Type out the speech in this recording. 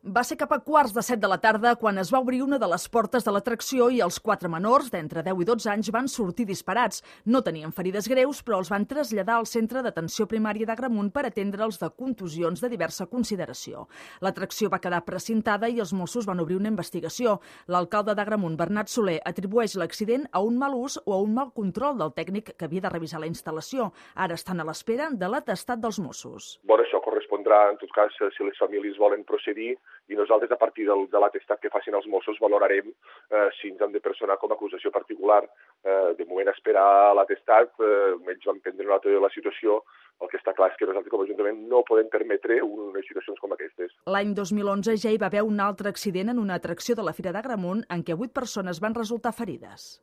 Va ser cap a quarts de 7 de la tarda quan es va obrir una de les portes de l'atracció i els 4 menors, d'entre 10 i 12 anys, van sortir disparats. No tenien ferides greus, però els van traslladar al centre d'atenció primària d'Agramunt per atendre'ls de contusions de diversa consideració. L'atracció va quedar precintada i els Mossos van obrir una investigació. L'alcalde d'Agramunt, Bernat Soler, atribueix l'accident a un mal ús o a un mal control del tècnic que havia de revisar la instal·lació. Ara estan a l'espera de l'atestat dels Mossos. Bueno, això correspondrà, en tot cas, si les famílies volen procedir, i nosaltres, a partir de l'atestat que facin els Mossos, valorarem si ens han de personar com a acusació particular. De moment, esperar l'atestat, ells van prendre nota de la situació. El que està clar és que nosaltres, com a Ajuntament, no podem permetre unes situacions com aquestes. L'any 2011 ja hi va haver un altre accident en una atracció de la Fira d'Agramunt en què 8 persones van resultar ferides.